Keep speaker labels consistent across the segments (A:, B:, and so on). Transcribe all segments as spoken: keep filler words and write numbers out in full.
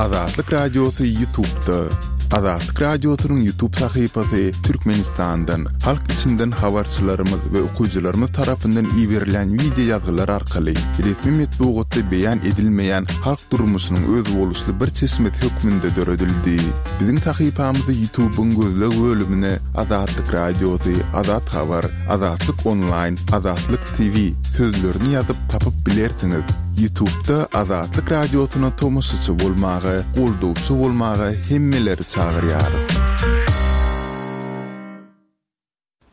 A: Azatlyk Radiosy YouTube'da. Azatlyk Radiosynyň YouTube sahypasy Türkmenistandan, halk içinden habarçylarymyz we okyjylarymyz tarapyndan iberilen wideo ýazgylar arkaly resmi metbugatda beýan edilmeýän halk durmuşynyň özboluşly bir çeşmesi hökmünde döredildi. Biziň sahypamyzy YouTube'yň gözleg bölümine Azatlyk Radiosy, Azat Habar, Azatlyk Online, Azatlyk T V sözlerini ýazyp tapyp bilersiňiz. YouTube'da Azatlyk Radiosyna tomaşaçy bolmaga, goldawçy bolmaga hemmeleri çagyrýarys.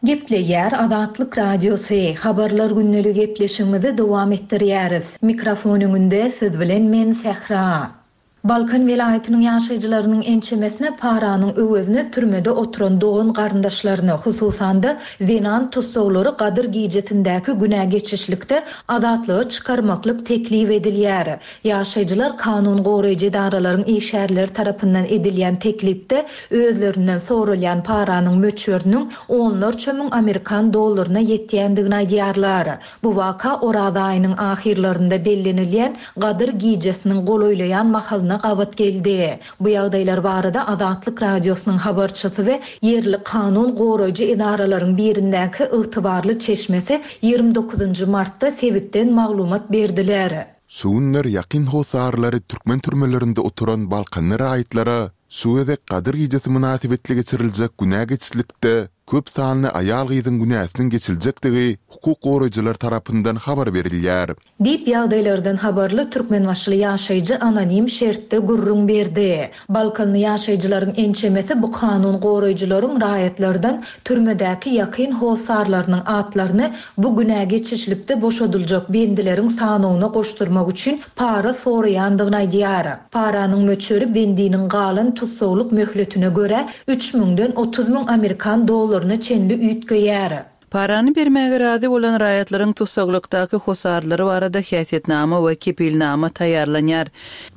B: Gepleýär Azatlyk Radiosy. Habarlar günlügi gepleşigimizi dowam etdirýäris. Mikrofon öňünde siz bilen men Sähra. Balkan welaýatynyň ýaşaýjylarynyň ençemesine paranyň öwezine türmede oturan dogan garyndaşlaryny, hususan-da zenan tussaglary Gadyr gijesindäki günä geçişlikde azatlyga çykarmaklyk teklip edilýär. Ýaşaýjylar kanun goraýjy edaralaryň işgärleri tarapyndan edilýän teklipde özlerinden sorulýan paranyň möçberiniň onlarça müň Amerikan dollaryna ýetýändigini aýdýarlar. Bu waka Oraz aýynyň ahyrlarynda bellenilýän Gadyr gijesiniň golaýlaýan mahalyna gabat geldi. Bu ýagdaýlar barada Azatlyk Radiosynyň habarçysy we ýerli kanun goraýjy edaralaryň birindäki ygtybarly çeşmesi ýigrimi dokuzynjy martda sebitden maglumat berdiler.
A: Şu günler ýakyn hossarlary türkmen türmelerinde oturan Balkanly raýatlara şu gezek Gadyr gijesi mynasybetli geçiriljek günä geçişlikde köp sanly aýal-gyzyň günäsiniň geçiljekdigi hukuk goraýjylar tarapyndan habar berilýär.
B: Diýip ýagdaýlardan habarly Türkmenbaşyly ýaşaýjy anonim şertde gürrüň berdi. Balkanly ýaşaýjylaryň ençemesi bu kanun goraýjylaryň raýatlardan türmedäki ýakyn hossarlarynyň atlaryny bu günä geçişlikde boşadyljak bendileriň sanyna goşdurmak üçin para soraýandygyny aýdýar. Paranyň möçberi bendiniň galan tussaglyk möhletine görä üç müňden otuz müň Amerikan dollaryna çenli üýtgeýär.
C: Parany bermäge razy bolan raýatlaryň tussaglykdaky hosarlary barada häsiýetnama we kepilnama taýýarlanýar.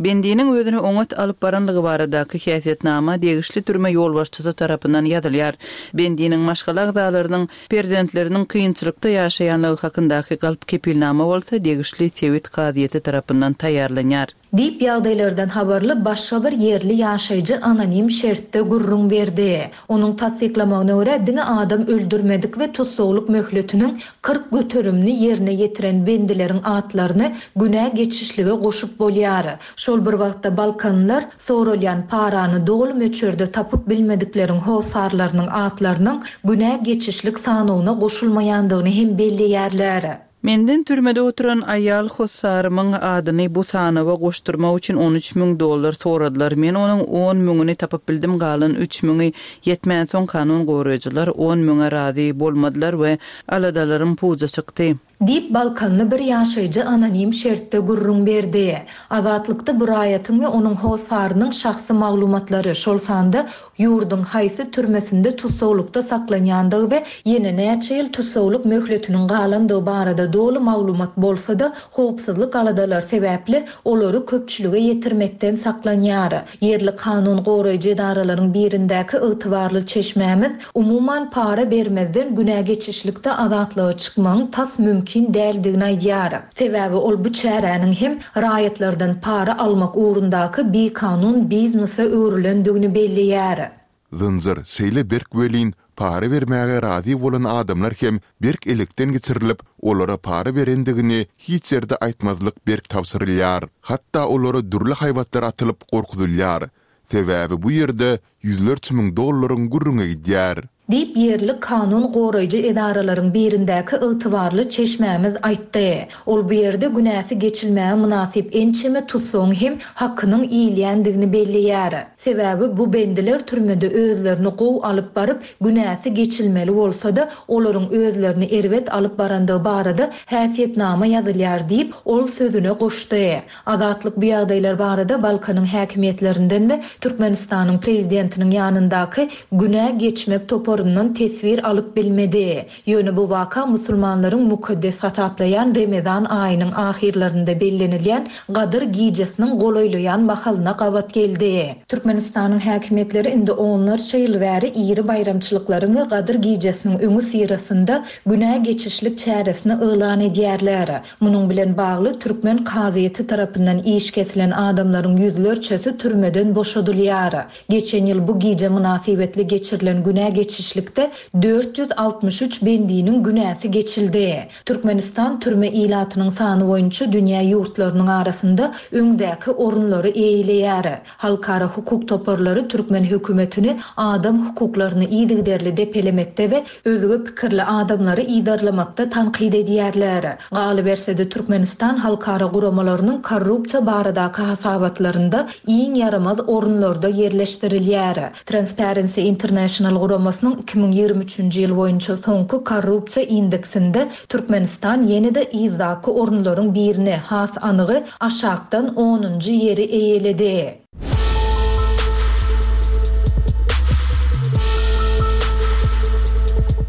C: Bendiniň özüni oňat alyp baranlygy baradaky häsiýetnama degişli türme ýolbaşçysy tarapyndan ýazylýar. Bendiniň maşgala agzalarynyň perzentleriniň kynçylykda ýaşaýanlygy hakyndaky galp kepilnama bolsa degişli sebit kazyýeti tarapyndan taýýarlanýar.
B: Diýip ýagdaýlardan habarly başga bir ýerli ýaşaýjy anonim şertde gürrüň berdi. Onuň tassyklamagyna görä diňe adam öldürmedik we tussaglyk möhletiniň kyrk göterimini ýerine ýetiren bendileriň atlaryny günä geçişlige goşup bolýar. Şol bir wagtda Balkanlar sorulýan parany doly möçberde tapyp bilmedikleriň hossarlarynyň atlarynyň günä geçişlik sanyna goşulmaýandygyny hem belleýärler.
C: Menden türmede oturan aýal hossarymyň adyny bu sanawa goşdurmak üçin on üç müň dollar soradylar. Men onuň on müňüni tapyp bildim, galan üç müňi ýetmän soň kanun goraýjylar on müňe razy bolmadylar we aladalaryň puja çykdy.
B: Diýip Balkanly bir ýaşaýjy anonim şertde gürrüň berdi. Azatlykda bu raýatyň we onuň hossarynyň şahsy maglumatlary, şol sanda ýurduň haýsy türmesinde tussaglykda saklanýandygy we ýene näçe ýyl tussaglyk möhletiniň galandygy barada doly maglumat bolsa-da, howpsuzlyk aladalar sebäpli olary köpçülige ýetirmekden saklanýar. Ýerli kanun goraýjy edaralaryň birindäki ygtybarly çeşmämiz umuman para bermezden günä geçişlikde azatlyga çykmagyň tas mümkin däldigini aýdýar. Sebäbi ol bu çäräniň hem raýatlardan para almak ugrundaky bikanun biznese öwrülendigini belleýär.
A: Zynjyr şeýle berk welin para bermäge razy bolan adamlar hem berk elekden geçirilip, olara para berendigini hiç ýerde aýtmazlyk berk tabşyrylýar. Hatda olara dürli haýbatlar atylyp gorkuzylýar. Sebäbi bu ýerde ýüzlerçe müň dollaryň gürrüňe gidýär.
B: Diýip ýerli kanun goraýjy edaralaryň birindäki ygtybarly çeşmämiz aýtdy. Ol bu ýerde günäsi geçilmäge mynasyp ençeme tussagyň hem hakynyň iýilýändigini belleýär. Sebäbi bu bendiler türmede özlerini gow alyp baryp, günäsi geçilmeli bolsa-da, olaryň özlerini erbet alyp barandygy barada häsiýetnama ýazylýar diýip, ol sözüne goşdy. Azatlyk bu ýagdaýlar barada Balkanyň häkimiýetlerinden we Türkmenistanyň prezidentiniň ýanyndaky günä geçmek toparyndan uçaryndan teswir alyp bilmedi. Ýöne bu waka musulmanlaryň mukaddes hasaplaýan Remezan aýynyň ahyrlarynda bellenilýän Gadyr gijesiniň golaýlaýan mahalyna gabat geldi. Türkmenistanyň häkimiýetleri indi onlarça ýyl bäri iri baýramçylyklaryň we Gadyr gijesiniň öňüsyrasynda günä geçişlik çäresini yglan edýärler. Munuň bilen bagly türkmen kazyýeti tarapyndan iş kesilen adamlaryň ýüzlerçesi türmeden boşadylýar. Geçen ýyl bu gije mynasybetli geçirilen günä geçişlikde dört ýüz altmyş üç bendiniň günäsi geçildi. Türkmenistan türme ilatynyň sany boýunça dünýä ýurtlarynyň arasynda öňdäki orunlary eýeleýär. Halkara hukuk toparlary türkmen hökümetini adam hukuklaryny yzygiderli depelemekde we özge pikirli adamlary yzarlamakda tankyt edýärler. Galyberse-de Türkmenistan halkara guramalarynyň korrupsiýa baradaky hasabatlarynda iň ýaramaz orunlarda ýerleşdirilýär. Transparency International guramasynyň iki müň ýigrimi üçünji ýyl boýunça soňky korrupsiýa indeksinde Türkmenistan ýene-de yzdaky orunlaryň birini, has anygy aşakdan onunjy ýeri eýeledi.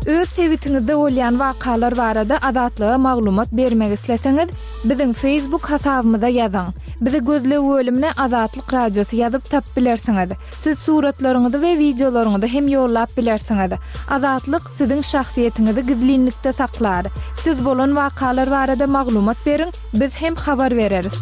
D: Öz sebitiňizde bolýan wakalar barada Azatlyga maglumat bermek isleseňiz, biziň Facebook hasabymyza ýazyň. Bizi gözleg bölümine Azatlyk Radiosy ýazyp tap bilersiňiz. Siz suratlaryňyzy we wideolaryňyzy hem ýollap bilersiňiz. Azatlyk siziň şahsyýetiňizi gizlinlikde saklar. Siz bolan wakalar barada maglumat beriň, biz hem habar bereris.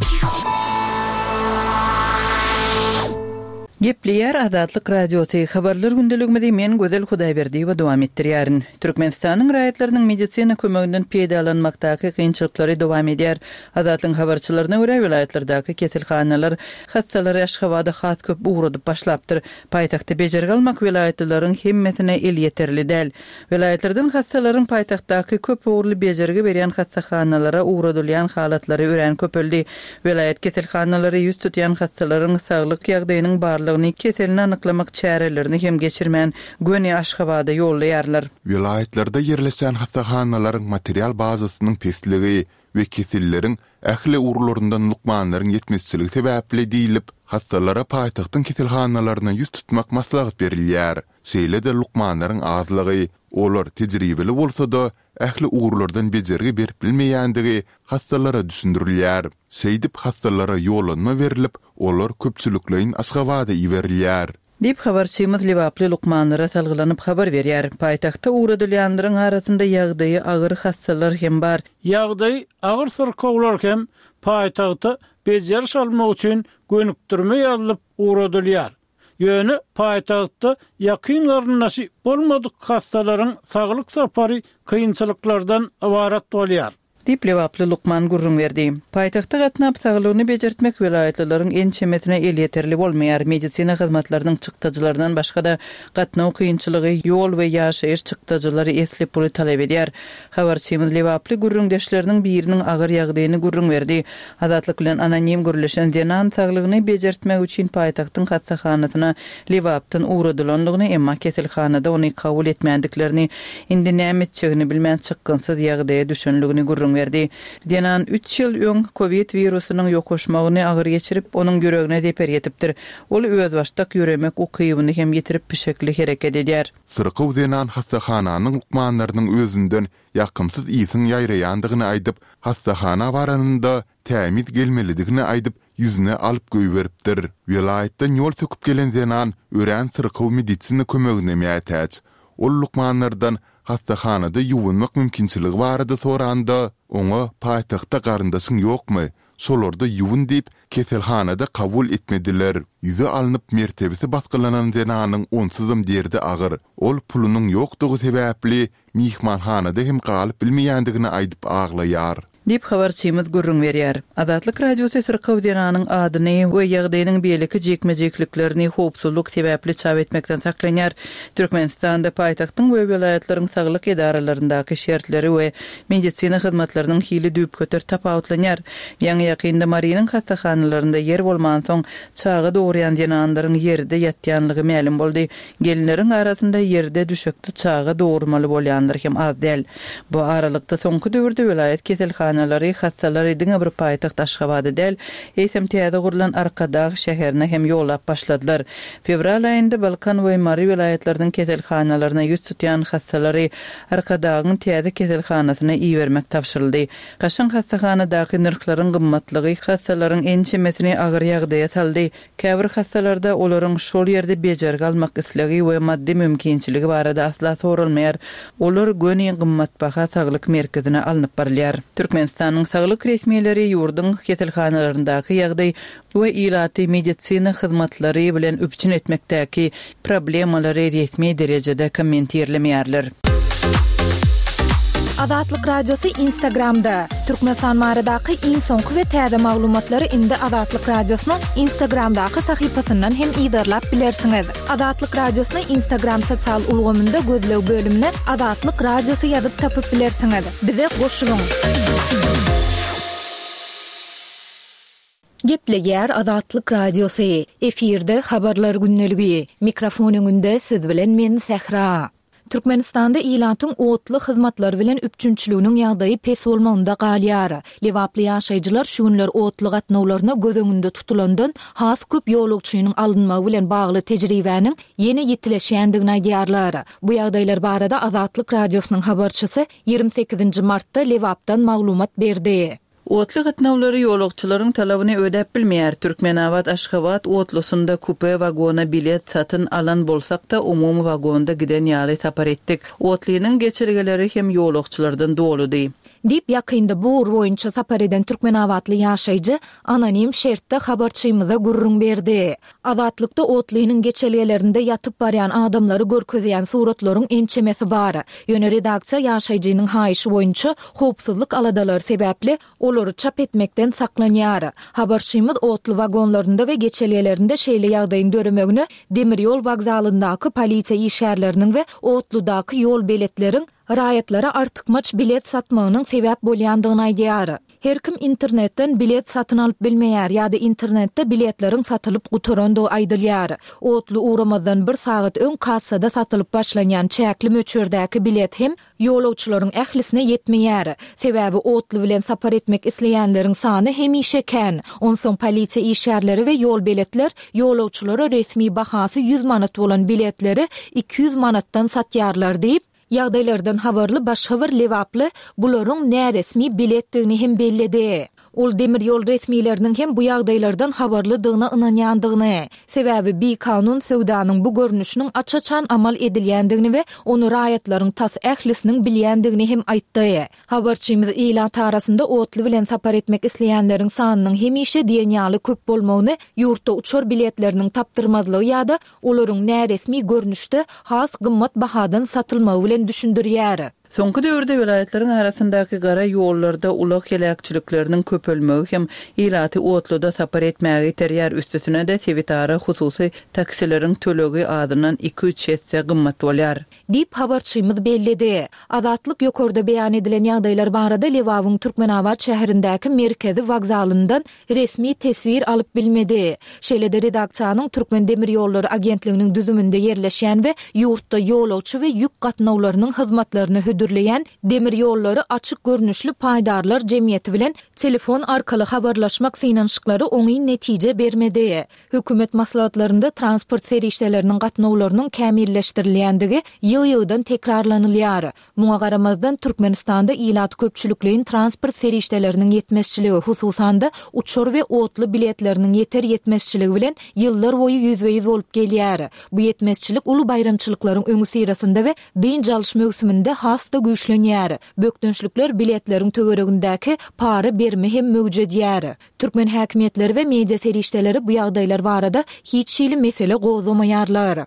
C: Gepleýär Azatlyk Radiosy. Habarlar gündeligimizi men Gözel Hudaýberdiýewa dowam etdirýärin. Türkmenistanyň raýatlarynyň medisina kömeginden peýdalanmakdaky kynçylyklary dowam edýär. Azatlygyň habarçylaryna görä welaýatlardaky keselhanalar hassalary Aşgabada has köp ugradyp başlapdyr. Paýtagtda bejergi almak welaýatlylaryň hemmesine elýeterli däl. Welaýatlardan hassalaryň paýtagtdaky köp ugurly bejergi berýän hassahanalara ugradylýan halatlary örän köpeldi. Welaýat keselhanalary ýüz tutýan hassalaryň saglyk ýagdaýynyň barlygyny keselini anyklamak çärelerini hem geçirmän göni Aşgabada ýollaýarlar.
A: Welaýatlarda ýerleşen hassahanalaryň material bazasynyň pesligi we keselleriň ähli ugurlaryndan lukmanlaryň ýetmezçiligi sebäpli diýlip, hassalara paýtagtyň keselhanalaryna ýüz tutmak maslahat berilýär. Şeýle-de lukmanlaryň azlygy, olar tejribeli bolsa-da ähli ugurlardan bejergi berip bilmeýändigi hassalara düşündirilýär. Şeýdip hassalara ýollanma berilip, olar köpçülikleýin Aşgabada iberilýär.
C: Diýip habarçymyz Lebaply lukmanlara salgylanyp habar berýär. Paýtagtda ugradylýanlaryň arasynda ýagdaýy agyr hassalar hem bar.
E: Ýagdaýy agyr syrkawlar hem paýtagta bejeriş almak üçin gönükdirme ýazylyp ugradylýar. Ýöne paýtagtda ýakyn garyndaşy bolmadyk hassalaryň saglyk sapary kynçylyklardan ybarat bolýar.
C: Diýip Lebaply lukman gürrüň berdi. Paýtagtda gatnap saglygyny bejertmek welaýatlylaryň ençemesine elýeterli bolmaýar. Medisina hyzmatlarynyň çykdajylaryndan başga-da gatnaw kynçylygy, ýol we ýaşaýyş çykdajylary esli puly talap edýär. Habarçymyz Lebaply gürrüňdeşleriniň biriniň agyr ýagdaýyny gürrüň berdi. Azatlyk bilen anonim gürleşen zenan saglygyny bejertmek üçin paýtagtyň hassahanasyna Lebapdan ugradylandygyny, emma keselhanada ony kabul etmändiklerini, indi näme etjegini bilmän çykgynsyz ýagdaýa düşenligini gürrüň berdi. Zenan üç ýyl öň COVID wirusynyň ýokaşmagyny agyr geçirip, onuň ýüregine zeper ýetipdir. Ol özbaşdak ýöremek ukybyny hem ýitirip pişekli hereket edýär.
A: Syrkaw zenan hassahananyň lukmanlarynyň özünden ýakymsyz ýysyň ýaýraýandygyny aýdyp, hassahana baranynda tämiz gelmelidigini aýdyp, ýüzüne alyp goýberipdir. Welaýatdan ýol söküp gelen zenan örän syrkaw medisina kömegine mätäç. Ol lukmanlardan hassahanada ýuwunmak mümkinçiligi barada soranda, oňa paýtagtda garyndaşyň ýokmy, şolarda ýuwun diýip keselhanada kabul etmediler. Ýüze alnyp mertebesi basgylanan zenanyň onsuzam derdi agyr. Ol pulunyň ýokdugy sebäpli mihmanhanada hem galyp bilmeýändigini aýdyp aglaýar.
C: Diýip habarçymyz gürrüň berýär. Azatlyk Radiosy syrkaw zenanyň adyny we ýagdaýynyň beýleki jikme-jikliklerini howpsuzlyk sebäpli çap etmekden saklanýar. Türkmenistanda paýtagtyň we welaýatlaryň saglyk edaralaryndaky şertleri we medisina hyzmatlarynyň hili düýpgöter tapawutlanýar. Ýaňy ýakynda Marynyň hassahanalarynda ýer bolmansoň çaga dogurýan zenanlaryň ýerde ýatýanlygy mälim boldy. Gelinleriň arasynda ýerde düşekde çaga dogurmaly bolýanlar hem az däl. Bu aralykda soňky döwürde welaýat keselhanalarynda keselhanalary hassalary diňe bir paýtagt Aşgabada däl, eýsem täze gurlan Arkadag şäherine hem ýollap başladylar. Fewral aýynda Balkan we Mary welaýatlarynyň keselhanalaryna ýüz tutýan hassalary Arkadagyň täze keselhanasyna ibermek tabşyryldy. Kaşaň hassahanadaky nyrhlaryň gymmatlygy hassalaryň ençemesini agyr ýagdaýa saldy. Käbir hassalarda olaryň şol ýerde bejergi almak islegi we maddy mümkinçiligi barada asla soralmaýar. Olar göni gymmatbaha saglyk merkezine alnyp barylýar. Türkmenistanyň saglyk resmileri ýurduň keselhanalaryndaky ýagdaý we ilaty medisina hyzmatlary bilen üpjün etmekdäki problemalary resmi derejede kommentirlemeýärler.
D: Azatlyk Radiosy Instagramda. Türkmenistan baradaky iň soňky we täze maglumatlary indi Azatlyk Radiosynyň Instagramdaky sahypasyndan hem yzarlap bilersiňiz. Azatlyk Radiosyny Instagram sosial ulgamynda gözleg bölümine Azatlyk Radiosy ýazyp tapyp bilersiňiz. Bize goşulyň. Gepleýär Azatlyk Radiosy. Efirde habarlar gündeligi. Mikrofon öňünde siz bilen men Sähra. Türkmenistanda ilatyň otly hyzmatlary bilen üpjünçiliginiň ýagdaýy pes bolmagynda galýar. Lebaply ýaşaýjylar şu günler otly gatnawlaryna göz öňünde tutulandan has köp ýolagçynyň alynmagy bilen bagly tejribäniň ýene ýetileşýändigini aýdýarlar. Bu ýagdaýlar barada Azatlyk Radiosynyň habarçysy ýigrimi sekizinji martda Lebapdan maglumat berdi.
C: Otly gatnawlary ýolagçylaryň talabyny ödäp bilmeýär. Türkmenabat Aşgabat otlusynda kupe wagona bilet satyn alan bolsak-da umumy wagonda giden ýaly sapar etdik. Otlynyň geçelgeleri hem ýolagçylardan doludy.
D: Diýip ýakynda bu ugur boýunça sapar eden Türkmenabatly ýaşaýjy anonim şertde habarçymyza gürrüň berdi. Azatlykda otlynyň geçelgelerinde ýatyp barýan adamlary görkezýän suratlaryň ençemesi bar. Ýöne redaksiýa ýaşaýjynyň haýyşy boýunça howpsuzlyk aladalary sebäpli olary çap etmekden saklanýar. Habarçymyz otly wagonlarynda we geçelgelerinde şeýle ýagdaýyň döremegine demir ýol wokzalyndaky polisiýa işgärleriniň we otludaky ýol beletleriň raýatlara artykmaç bilet satmagynyň sebäp bolýandygyny aýdýar. Her kim internetden bilet satyn alyp bilmeýär ýa-da internetde biletleriň satylyp gutarandygy aýdylýar. Otly ugramazdan bir sagat öň kassada satylyp başlanýan çäkli möçberdäki bilet hem ýolagçylaryň ählisine ýetmeýär. Sebäbi otly bilen sapar etmek isleýänleriň sany hemişe kän. Onsoň polisiýa işgärleri we ýol beletler ýolagçylara resmi bahasy ýüz manat bolan biletleri iki ýüz manatdan satýarlar diýip, ýagdaýlardan habarly başga bir lebaply bularyň näresmi biletdigini hem belledi. Ol demir ýol resmileriniň hem bu ýagdaýlardan habarlydygyna ynanýandygyny, sebäbi bikanun söwdanyň bu görnüşiniň aç-açan amal edilýändigini we ony raýatlaryň tas ählisiniň bilýändigini hem aýtdy. Habarçymyz ilat arasynda otly bilen sapar etmek isleýänleriň sanynyň hemişe diýen ýaly köp bolmagyny, ýurtda uçar biletleriniň tapdyrmazlygy ýa-da olaryň näresmi görnüşde has gymmat bahadan satylmagy bilen düşündirýär.
C: Soňky döwürde welaýatlaryň arasyndaky gara ýollarda ulag heläkçilikleriniň köpelmegi hem ilaty otluda sapar etmäge iterýär. Üstesine de sebitara hususy taksileriň tölegi azyndan iki-üç esse gymmat bolýar.
D: Diýip habarçymyz belledi. Azatlyk ýokarda beýan edilen ýagdaýlar barada Lebabyň Türkmenabat şäherindäki merkezi wokzalyndan resmi teswir alyp bilmedi. Şeýle-de redaksiýanyň Türkmen demir ýollary agentliginiň düzüminde ýerleşýän we ýurtda ýolagçy we ýük gatnawlarynyň hyzmatlaryny hödürleýän demir ýollary açyk görnüşli paýdarlar jemgyýeti bilen telefon arkaly habarlaşmak synanyşyklary oňyn netije bermedi. Hökümet maslahatlarynda transport serişdeleriniň gatnawlarynyň kämilleşdirilýändigi ýygy-ýygydan tekrarlanylýar. Muňa garamazdan Türkmenistanda ilat köpçülikleýin transport serişdeleriniň ýetmezçiligi, hususan-da uçar we otly biletleriniň ýeter ýetmezçiligi bilen ýyllar boýy ýüzbe-ýüz bolup gelýär. Bu ýetmezçilik uly baýramçylyklaryň öňüsyrasynda we dynç alyş möwsüminde has-da güýçlenýär. Bökdençlikler biletleriň töweregindäki para berme hem möwjedýär. Türkmen häkimiýetleri we media serişdeleri bu ýagdaýlar barada hiç hili mesele gozgamaýarlar.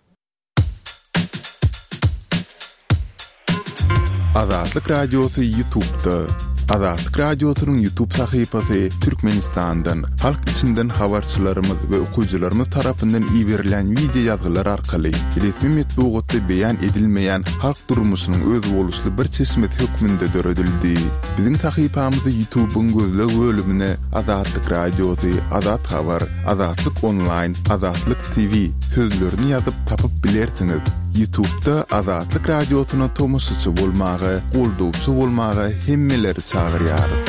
A: Azatlyk Radiosy YouTube'da. Azatlyk Radiosynyň YouTube sahypasy Türkmenistandan, halk içinden habarçylarymyz we okyjylarymyz tarapyndan iberilen video ýazgylar arkaly resmi metbugatda beýan edilmeýän halk durmuşynyň özboluşly bir çeşmesi hökmünde döredildi. Biziň sahypamyzy YouTube'yň gözleg bölümine Azatlyk Radiosy, Azat Habar, Azatlyk Online, Azatlyk T V sözlerini ýazyp tapyp bilersiňiz. YouTube'da Azatlyk Radiosyna tomaşaçy bolmaga, goldawçy bolmaga hemmeleri çagyrýarys.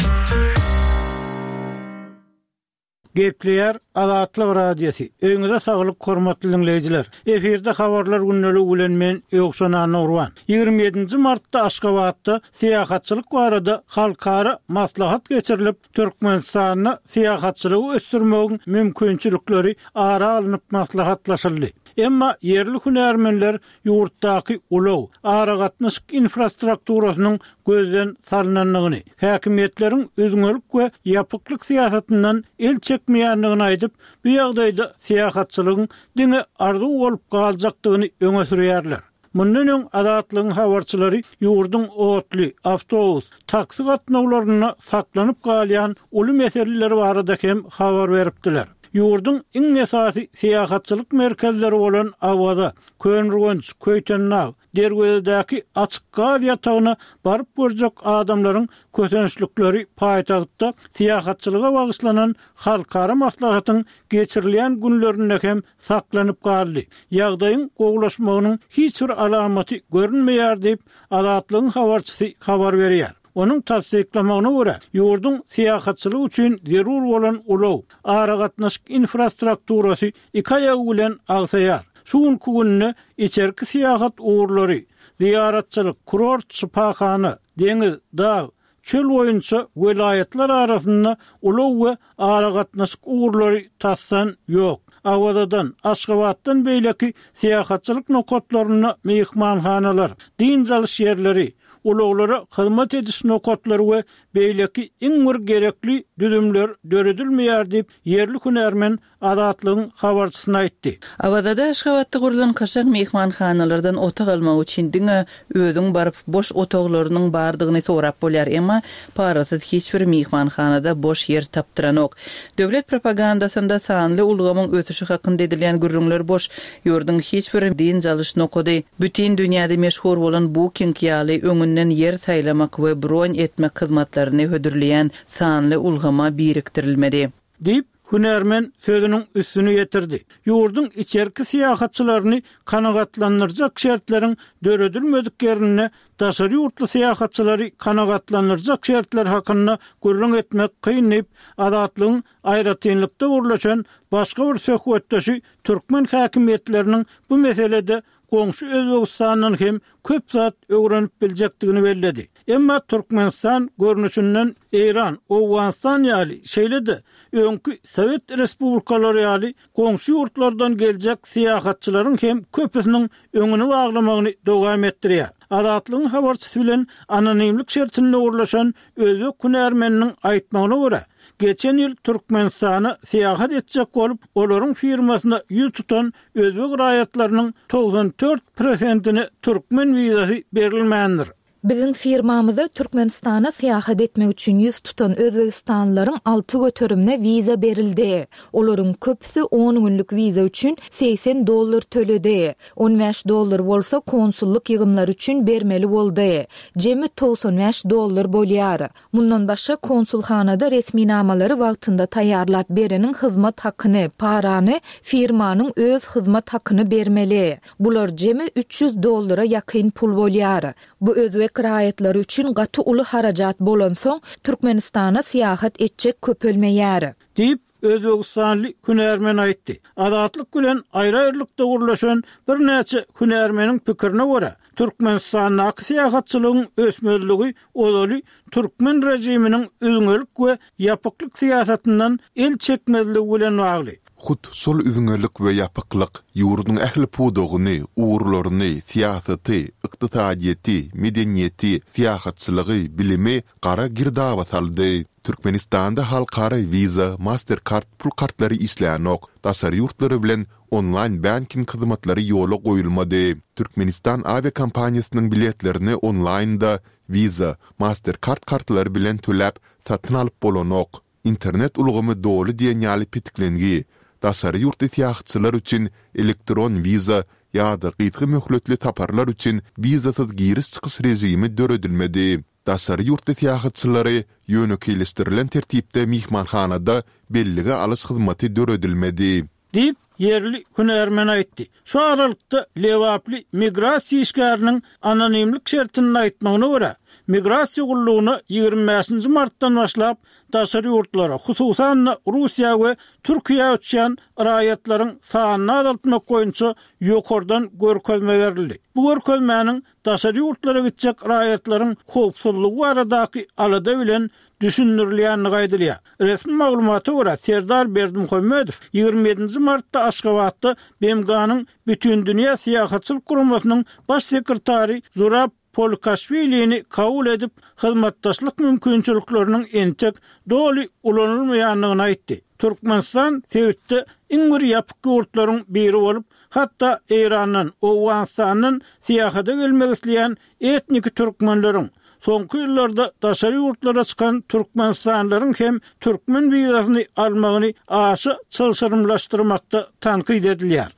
E: Gepleýär Azatlyk Radiosy. Öýüňize saglyk hormatly diňleýjiler. Efirde habarlar gündeligi bilen men Ýowşan Annagurban. Ýigrimi ýedinji martda Aşgabatda syýahatçylyk barada halkara maslahat geçirilip, Türkmenistanda syýahatçylygy ösdürmegiň mümkinçilikleri ara alnyp maslahatlaşyldy. Emma ýerli hünärmenler ýurtdaky ulag, aragatnaşyk infrastrukturasynyň gözden salnandygyny, häkimiýetleriň üzňelik we ýapyklyk syýasatyndan el çekmeýändigini aýdyp, bu ýagdaýda syýahatçylygyň diňe arzuw bolup galjakdygyny öňe sürýärler. Mundan öň Azatlygyň habarçylary ýurduň otly, awtobus, taksi gatnawlarynda saklanyp galýan uly meseleler barada hem habar beripdiler. Ýurduň iň esasy syýahatçylyk merkezleri bolan Awaza, Köneürgenç, Köýtendag, Derwezedäki açyk gaz ýatagyna baryp görjek adamlaryň kösençlikleri paýtagtda syýahatçylyga bagyşlanan halkara maslahatyň geçirilýän günlerinde hem saklanyp galdy. Ýagdaýyň gowulaşmagynyň hiç bir alamaty görünmeýär diýip, Azatlygyň habarçysy habar berýär. Onuň tassyklamagyna görä, ýurduň syýahatçylyk üçin zerur bolan ulag, aragatnaşyk infrastrukturasy iki aýagy bilen agsaýar. Şu günki günde içerki syýahat ugurlary, zyýaratçylyk, kurort, şypahana, deňiz, dag, çöl boýunça welaýatlar arasynda ulag we aragatnaşyk ugurlary tasdan ýok. Awazadan, Aşgabatdan beýleki syýahatçylyk nokatlarynda myhmanhanalar, dynç alyş ýerleri, ulaglara hyzmat ediş nokatlary we beýleki iň bir gerekli düzümler döredilmeýär diýip, ýerli hünärmen Azatlygyň habarçysyna aýtdy.
C: Awazada Aşgabatda gurlan kaşaň myhmanhanalardan otag almak üçin diňe özüň baryp boş otaglarynyň bardygyny sorap bolýar, emma parasyz hiç bir myhmanhanada boş ýer tapdyranok. Döwlet propagandasynda sanly ulgamyň ösüşi hakynda edilýän gürrüňler boş, ýurduň hiç bir dynç alyş nokady, bütin dünýäde meşhur bolan Booking ýaly öňünden ýer saýlamak we bron etmek hyzmatlaryny hödürleýän sanly ulgama birikdirilmedi.
E: Diýip, hünärmen sözüniň üstüni ýetirdi. Ýurduň içerki syýahatçylaryny kanagatlandyrjak şertleriň döredilmedik ýerinde daşary ýurtly syýahatçylary kanagatlandyrjak şertler hakynda gürrüň etmek kyn diýip, Azatlygyň aýratynlykda gürleşen başga bir söhbetdeşi türkmen häkimiýetleriniň bu meselede goňşy Özbegistandan hem köp zat öwrenip biljekdigini belledi. Emma Türkmenistan görnüşinden Eýran, Owganystan ýaly, şeýle-de öňki Sowet respublikalary ýaly goňşy ýurtlardan geljek syýahatçylaryň hem köpüsiniň öňüni baglamagyny dowam etdirýär. Azatlygyň habarçysy bilen anonimlik şertinde gürleşen özbek hünärmeniniň aýtmagyna görä, geçen ýyl Türkmenistana syýahat etjek bolup, olaryň firmasyna ýüz tutan özbek raýatlarynyň togsan dört prosentine türkmen wizasy berilmändir.
B: Biziň firmamyza Türkmenistana syýahat etmek üçin ýüz tutan özbegistanlylaryň alty göterimine wiza berildi. Olaryň köpüsi on günlük wiza üçin segsen dollar töledi. On bäş dollar bolsa konsullyk ýygymlary üçin bermeli boldy. Jemi togsan bäş dollar bolýar. Mundan başga konsulhanada resminamalary wagtynda taýýarlap bereniň hyzmat hakyny, parany, firmanyň öz hyzmat hakyny bermeli. Bular jemi üç ýüz dollara ýakyn pul bolýar. Bu özbek raýatlary üçin gaty uly harajat bolansoň, Türkmenistana syýahat etjek köpelmeýär.
E: Diýip, Özbegistanly hünärmen aýtdy. Azatlyk bilen aýry-aýrylykda gürleşen birnäçe hünärmeniň pikirine görä, Türkmenistandaky syýahatçylygyň ösmezligi ozaly türkmen režiminiň üzňelik we ýapyklyk syýasatyndan el çekmezligi bilen bagly.
A: Hut şol üzňelik we ýapyklyk ýurduň ähli pudagyny, ugurlaryny, syýasaty, ykdysadyýeti, medeniýeti, syýahatçylygy, bilimi gara girdaba saldy. Türkmenistanda halkara Visa, Mastercard pul kartlary işlänok, daşary ýurtlary bilen onlaýn banking hyzmatlary ýola goýulmady. Türkmenistan awiakompaniýasynyň biletlerini onlaýnda Visa, Mastercard kartlary bilen töläp satyn alyp bolanok. Internet ulgamy doly diýen ýaly petiklengi. Daşary ýurtly syýahatçylar üçin elektron wiza ýa-da gysga möhletli saparlar üçin wizasyz giriş-çykyş režimi döredilmedi. Daşary ýurtly syýahatçylary ýönekeýleşdirilen tertipde myhmanhanada bellige alyş hyzmaty döredilmedi.
E: Diýip, ýerli hünärmen aýtdy. Şu aralykda lebaply migrasiýa işgäriniň anonimlik şertinde aýtmagyna görä, migrasiýa gullugyna ýigrimi bäşinji martdan başlap daşary ýurtlara, hususan-da Russiýa we Türkiýä uçýan raýatlaryň sanyny azaltmak boýunça ýokardan görkezme berildi. Bu görkezmäniň daşary ýurtlara gitjek raýatlaryň howpsuzlygy baradaky alada bilen düşündirilýändigi aýdylýar. Resmi maglumata görä, Serdar Berdimuhamedow ýigrimi ýedinji martda Aşgabatda B M G-nyň Bütindünýä Syýahatçylyk Guramasynyň baş sekretary Zurab Polukaşwilini kabul edip, hyzmatdaşlyk mümkinçilikleriniň entek doly ulanylmaýandygyny aýtdy. Türkmenistan sebitde iň bir ýapyk ýurtlaryň biri bolup, hatda Eýrandan, Owganystandan syýahata gelmek isleýän etniki türkmenleriň, soňky ýyllarda daşary ýurtlara çykan türkmenistanlylaryň hem türkmen wizasyny almagyny aşa çylşyrymlaşdyrmakda tankyt edilýär.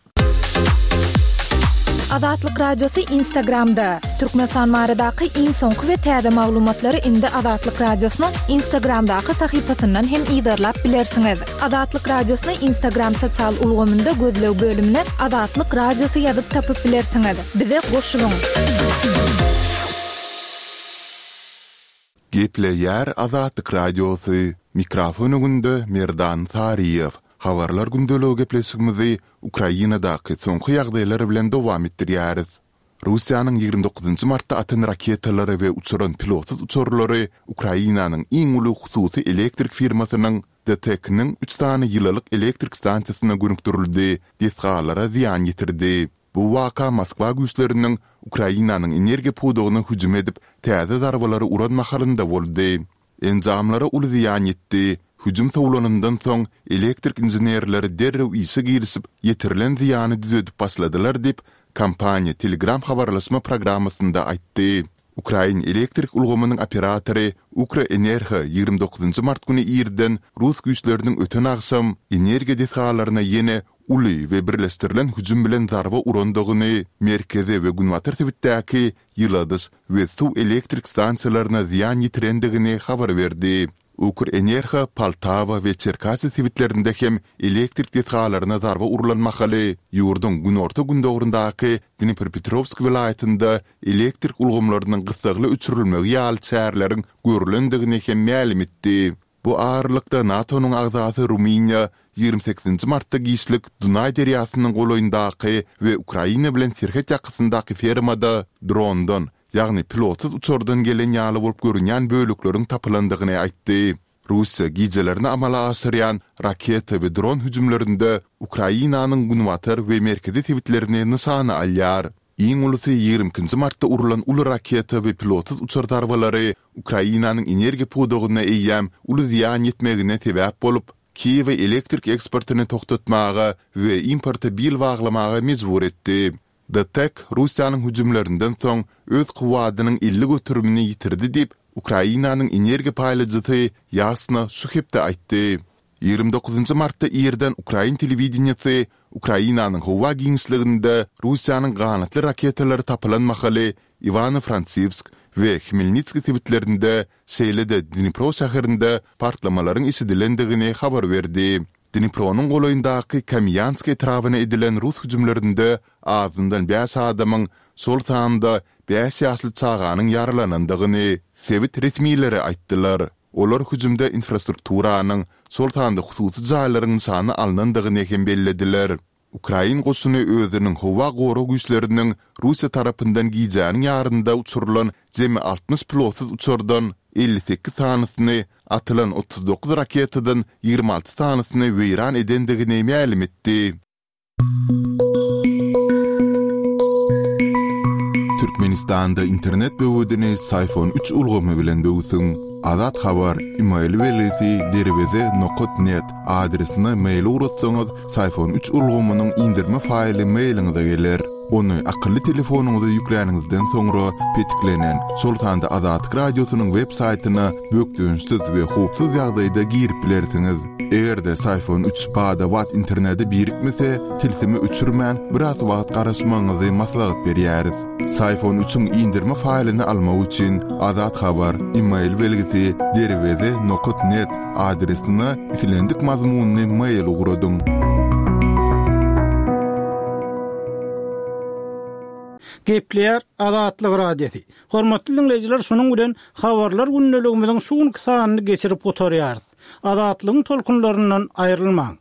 D: Azatlyk Radiosy Instagramda. Türkmenistan baradaky iň soňky we täze maglumatlary indi Azatlyk Radiosynyň Instagramdaky sahypasyndan hem yzarlap bilersiňiz. Azatlyk Radiosyny Instagram sosial ulgamynda gözleg bölümine Azatlyk Radiosy ýazyp tapyp bilersiňiz. Bize goşulyň.
A: Gepleýär Azatlyk Radiosy. Mikrofon öňünde Merdan Saryýew. Habarlar gündeligi gepleşigimizi Ukrainadaky soňky ýagdaýlar bilen dowam etdirýäris. Russiýanyň ýigrimi dokuzynjy martda atan raketalary we uçuran pilotsyz uçarlary Ukrainanyň iň uly hususy elektrik firmasynyň D T E K-niň üç sany ýylylyk elektrik stansiýasyna gönükdirildi, desgalara zyýan ýetirdi. Bu waka Moskwa güýçleriniň Ukrainanyň energiýa pudagyna hüjüm edip, täze zarbalary uran mahalynda boldy. Enjamlara uly zyýan ýetdi. Hüjüm sowlanyndan soň elektrik inženerleri derrew işe girişip, ýetirilen zyýany düzedip başladylar diýip, kompaniýa Telegram habarlaşma programmasynda aýtdy. Ukrain elektrik ulgamynyň operatory Ukrenergo ýigrimi dokuzynjy mart güni irden rus güýçleriniň öten agşam energiýa desgalaryna ýene uly we birleşdirilen hüjüm bilen zarba urandygyny, merkezi we günbatar sebitdäki ýyladyş we suw elektrik stansiýalaryna zyýan ýetirendigini habar berdi. Ukrenergo Poltawa we Çerkasy sebitlerinde hem elektrik desgalaryna zarba urulan mahaly ýurduň günorta-gündogaryndaky Dnipropetrovsk welaýatynda elektrik ulgamlarynyň gyssagly öçürilmegi ýaly çäreleriň görülendigini hem mälim etdi. Bu aralykda NATO-nyň agzasy Rumyniýa ýigrimi sekizinji martda giçlik Dunaý derýasynyň golaýyndaky we Ukraina bilen serhet ýakasyndaky fermada drondan, ýagny pilotsyz uçardan gelen ýaly bolup görünýän bölekleriň tapylandygyny aýtdy. Russiýa gijelerini amala aşyrýan raketa we dron hüjümlerinde Ukrainanyň günbatar we merkezi sebitlerini nyşana alýar. Iň ulusy ýigrimi ikinji martda urulan uly raketa we pilotsyz uçar zarbalary Ukrainanyň energiýa pudagyna eýýäm uly zyýan ýetmegine sebäp bolup, Kiýewe elektrik eksportyny togtatmaga we importa bil baglamaga mejbur etdi. D T E K Russiýanyň hüjümlerinden soň öz kuwwadynyň elli göterimini ýitirdi diýip, Ukrainanyň energiýa paýlajysy Ýasna şu hepde aýtdy. Ýigrimi dokuzynjy martda irden ukrain telewideniýesi Ukrainanyň howa giňişliginde Russiýanyň ganatly raketalary tapylan mahaly Iwano-Frankiwsk we Hmelnitskiý sebitlerinde, şeýle-de Dnipro şäherinde partlamalaryň eşidilendigini habar berdi. Dnipronyň golaýyndaky Kamýansk etrabyna edilen rus hüjümlerinde azyndan bäş adamyň, şol sanda bäş ýaşly çaganyň ýaralanandygyny sebit resmileri aýtdylar. Olar hüjümde infrastrukturanyň, şol sanda hususy jaýlaryň nyşana alnandygyny hem bellediler. Ukrain goşuny özüniň howa gorag güýçleriniň Russiýa tarapyndan gijäniň ýarynda uçurylan jemi altmyş pilotsyz uçardan elli sekiz sanysyny, atylan otuz dokuz raketadan ýigrimi alty sanysyny weýran edendigini mälim etdi. Türkmenistanda internet böwedini Syfon üç ulgamy bilen böwsüň. Azat Habar, email belgisi derweze nokat net adresine mail ugratsaňyz, Syfon üç ulgamynyň indirme faýly mailiňize geler. Ony akylly telefonyňyza ýükläniňizden soňra petiklenen, şol sanda Azatlyk Radiosynyň web saýtyna bökdençsiz we howpsuz ýagdaýda girip bilersiňiz. Eger-de Syfon üç bada-bat internete birikmese, tilsimi öçürmän, biraz wagt garaşmagyňyzy maslahat berýäris. Syfon üçiň indirme faýlyny almak üçin Azat Habar, email belgisi derweze nokat net adresine islendik mazmunly mail ugradyň.
E: Gepleýär Azatlyk Radiosy. Hormatly diňleýjiler, şunuň bilen Habarlar gündeligimiziň şu günki sanyny geçirip gutarýarys. Azatlygyň tolkunlaryndan aýrylmaň.